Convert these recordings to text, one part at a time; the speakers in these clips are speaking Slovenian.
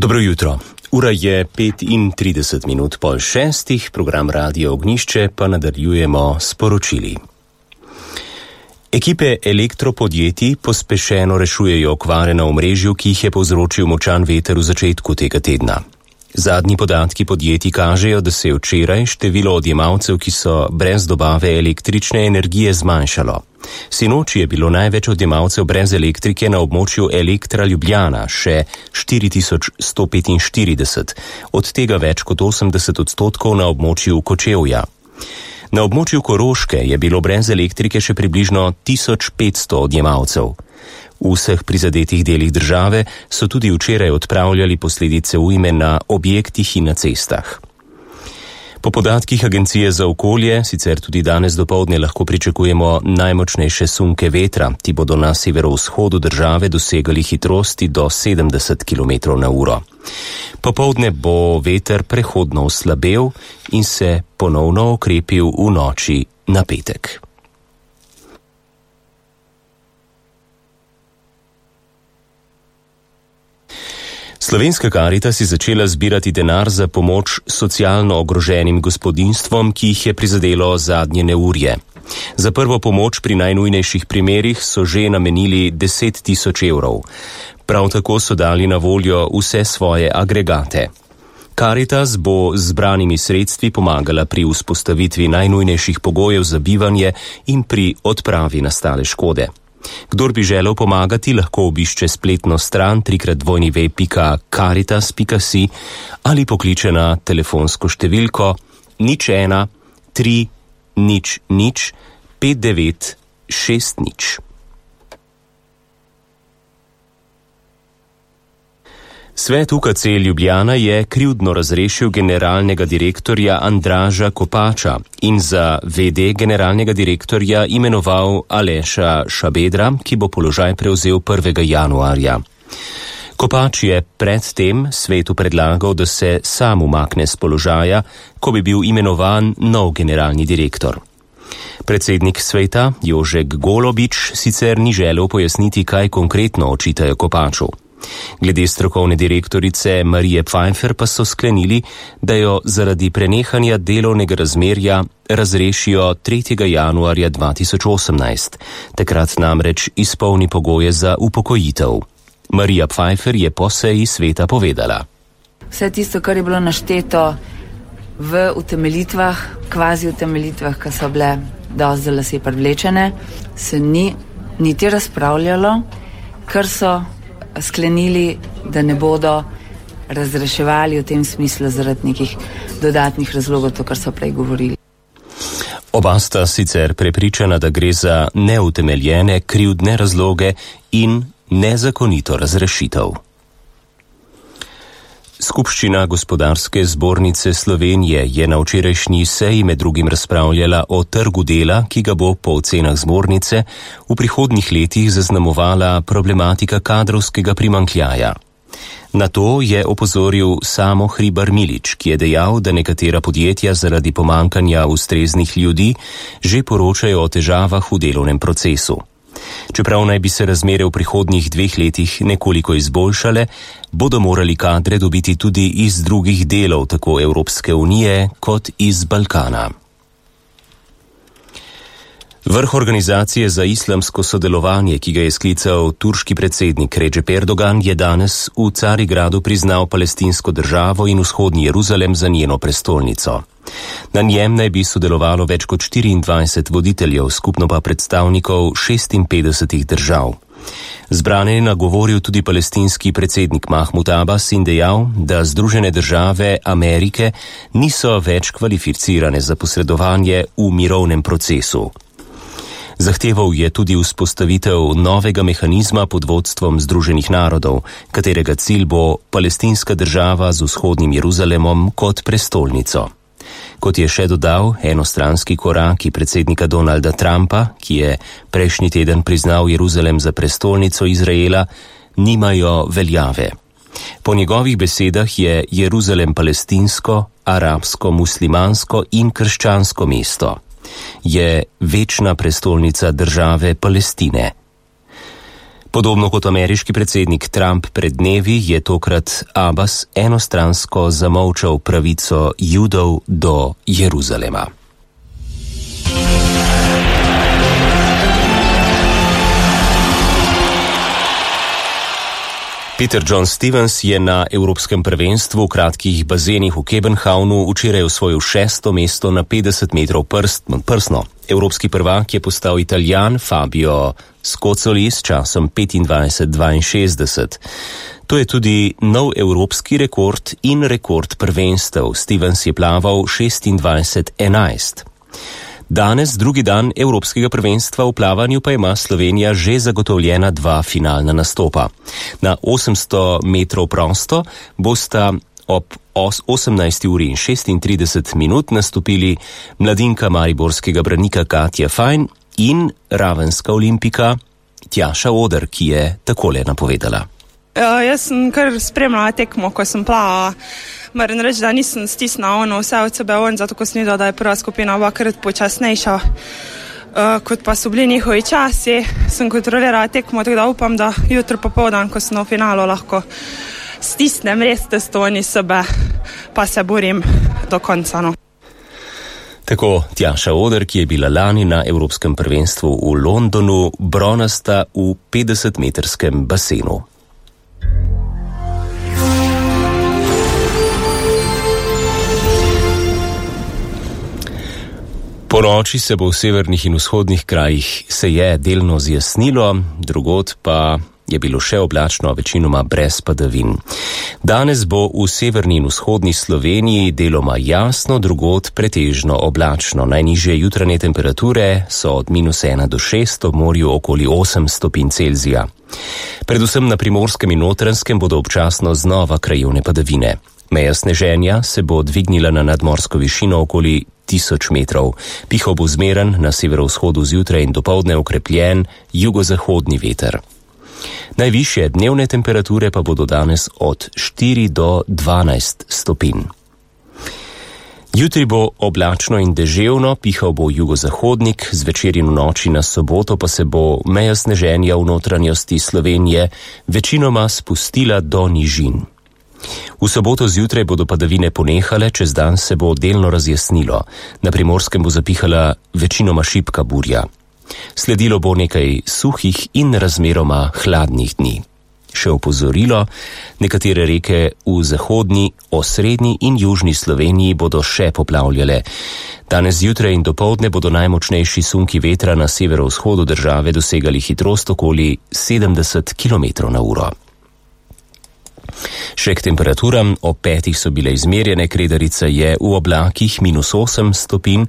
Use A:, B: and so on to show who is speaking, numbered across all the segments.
A: Dobro jutro. Ura je 35 po 6, program Radio Ognjišče pa nadaljujemo s poročili. Ekipe elektropodjetij pospešeno rešujejo okvare na omrežju, ki jih je povzročil močan veter v začetku tega tedna. Zadnji podatki podjetij kažejo, da se je včeraj število odjemalcev, ki so brez dobave električne energije, zmanjšalo. Sinoči je bilo največ odjemalcev brez elektrike na območju Elektra Ljubljana, še 4145, od tega več kot 80% na območju Kočevja. Na območju Koroške je bilo brez elektrike še približno 1500 odjemalcev. V vseh prizadetih delih države so tudi včeraj odpravljali posledice ujme na objektih in na cestah. Po podatkih Agencije za okolje, sicer tudi danes dopoldne lahko pričakujemo najmočnejše sunke vetra, ti bodo na severovzhodu države dosegali hitrosti do 70 km/h. Popoldne bo veter prehodno oslabel in se ponovno okrepil v noči na petek. Slovenska Karitas je začela zbirati denar za pomoč socialno ogroženim gospodinjstvom, ki jih je prizadelo zadnje neurje. Za prvo pomoč pri najnujnejših primerih so že namenili 10 000 evrov. Prav tako so dali na voljo vse svoje agregate. Karitas bo z zbranimi sredstvi pomagala pri vzpostavitvi najnujnejših pogojev za bivanje in pri odpravi nastale škode. Kdor bi želel pomagati, lahko obišče spletno stran www.caritas.si ali pokliče na telefonsko številko 01 300 5960. Svet UKC Ljubljana je krivdno razrešil generalnega direktorja Andraža Kopača in za VD generalnega direktorja imenoval Aleša Šabedra, ki bo položaj prevzel 1. januarja. Kopač je predtem svetu predlagal, da se sam umakne s položaja, ko bi bil imenovan nov generalni direktor. Predsednik sveta Jožek Golobič sicer ni želel pojasniti, kaj konkretno očitajo Kopaču. Glede strokovne direktorice Marije Pfeiffer pa so sklenili, da jo zaradi prenehanja delovnega razmerja razrešijo 3. januarja 2018. Takrat namreč izpolni pogoje za upokojitev. Marija Pfeiffer je po seji sveta povedala:
B: Vse tisto, kar je bilo našteto v utemeljitvah, kvazi utemeljitvah, ki so bile dosti za lase privlečene, se ni niti razpravljalo, ker so sklenili, da ne bodo razreševali v tem smislu zaradi nekih dodatnih razlogov, to, kar so prej govorili.
A: Oba sta sicer prepričana, da gre za neutemeljene krivdne razloge in nezakonito razrešitev. Skupščina Gospodarske zbornice Slovenije je na včerajšnji seji med drugim razpravljala o trgu dela, ki ga bo po ocenah zbornice v prihodnjih letih zaznamovala problematika kadrovskega primanjkljaja. Na to je opozoril Samo Hribar Milič, ki je dejal, da nekatera podjetja zaradi pomanjkanja ustreznih ljudi že poročajo o težavah v delovnem procesu. Čeprav naj bi se razmere v prihodnjih 2 letih nekoliko izboljšale, bodo morali kadre dobiti tudi iz drugih delov tako Evropske unije kot iz Balkana. Vrh Organizacije za islamsko sodelovanje, ki ga je sklical turški predsednik Recep Erdogan, je danes v Carigradu priznal palestinsko državo in vzhodni Jeruzalem za njeno prestolnico. Na njem naj bi sodelovalo več kot 24 voditeljev, skupno pa predstavnikov 56 držav. Zbrane je nagovoril tudi palestinski predsednik Mahmud Abbas in dejal, da Združene države Amerike niso več kvalificirane za posredovanje v mirovnem procesu. Zahteval je tudi vzpostavitev novega mehanizma pod vodstvom Združenih narodov, katerega cilj bo palestinska država z vzhodnim Jeruzalemom kot prestolnico. Kot je še dodal, enostranski koraki predsednika Donalda Trumpa, ki je prejšnji teden priznal Jeruzalem za prestolnico Izraela, nimajo veljave. Po njegovih besedah je Jeruzalem palestinsko, arabsko, muslimansko in krščansko mesto. Je večna prestolnica države Palestine. Podobno kot ameriški predsednik Trump pred dnevi je tokrat Abbas enostransko zamolčal pravico Judov do Jeruzalema. Peter John Stevens je na Evropskem prvenstvu v kratkih bazenih v Kebenhavnu včeraj osvojil 6. mesto na 50 metrov prsno. Evropski prvak je postal Italijan Fabio Scozzoli s časom 25:62. To je tudi nov evropski rekord in rekord prvenstev. Stevens je plaval 26:11. Danes, drugi dan Evropskega prvenstva v plavanju, pa ima Slovenija že zagotovljena 2 finalna nastopa. Na 800 metrov prosto bosta ob 18:36 nastopili mladinka mariborskega branika Katja Fajn in ravenska olimpika Tjaša Oder, ki je takole napovedala.
C: Jaz sem kar spremljala tekmo, ko sem plavala. Moram reči, da nisem stisnila vse od sebe zato ko sem videla, da je prva skupina obakrat počasnejša, kot pa so bili njihovi časi. Sem kontrolirala tekmo, tako da upam, da jutro popoldan, ko sem v finalu, lahko stisnem res testovanje sebe, pa se borim do konca. No.
A: Tako Tjaša Oder, ki je bila lani na Evropskem prvenstvu v Londonu bronasta v 50-metrskem basenu. Po noči se bo v severnih in vzhodnih krajih delno zjasnilo, drugod pa je bilo še oblačno, večinoma brez padavin. Danes bo v severni in vzhodni Sloveniji deloma jasno, drugod pretežno oblačno. Najnižje jutranje temperature so od -1 do 6, ob morju okoli 8 stopinj Celzija. Predvsem na Primorskem in Notranjskem bodo občasno znova krajevne padavine. Meja sneženja se bo dvignila na nadmorsko višino okoli 1000 metrov. Pihal bo zmeren, na severovzhodu zjutraj in dopoldne okrepljen jugozahodni veter. Najvišje dnevne temperature pa bodo danes od 4 do 12 stopinj. Jutri bo oblačno in deževno, pihal bo jugozahodnik, zvečer in v noči na soboto pa se bo meja sneženja v notranjosti Slovenije večinoma spustila do nižin. V soboto zjutraj bodo padavine ponehale, čez dan se bo delno razjasnilo. Na Primorskem bo zapihala večinoma šibka burja. Sledilo bo nekaj suhih in razmeroma hladnih dni. Še opozorilo, nekatere reke v zahodni, osrednji in južni Sloveniji bodo še poplavljale. Danes zjutraj in dopoldne bodo najmočnejši sunki vetra na severovzhodu države dosegali hitrost okoli 70 km/h. Še k temperaturam, ob 5 so bile izmerjene, Kredarica je v oblakih -8 stopinj,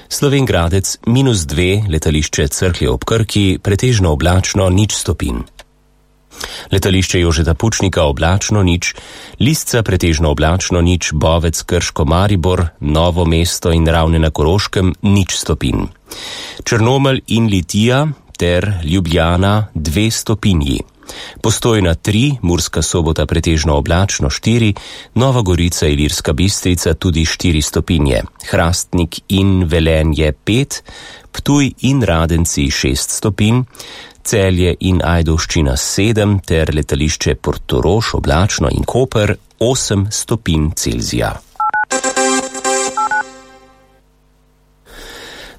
A: Slovenj Gradec -2, letališče Cerklje ob Krki pretežno oblačno 0 stopinj. Letališče Jožeta Pučnika oblačno 0, Lisca pretežno oblačno 0, Bovec, Krško, Maribor, Novo mesto in Ravne na Koroškem 0 stopinj. Črnomelj in Litija ter Ljubljana 2 stopinji. Postojna 3, Murska Sobota pretežno oblačno 4, Nova Gorica, Ilirska Bistrica tudi 4 stopinje, Hrastnik in Velenje 5, Ptuj in Radenci 6 stopinj, Celje in Ajdovščina 7 ter letališče Portorož oblačno in Koper 8 stopinj Celzija.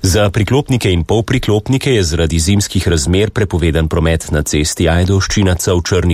A: Za priklopnike in polpriklopnike je zaradi zimskih razmer prepovedan promet na cesti Ajdovščina v Črni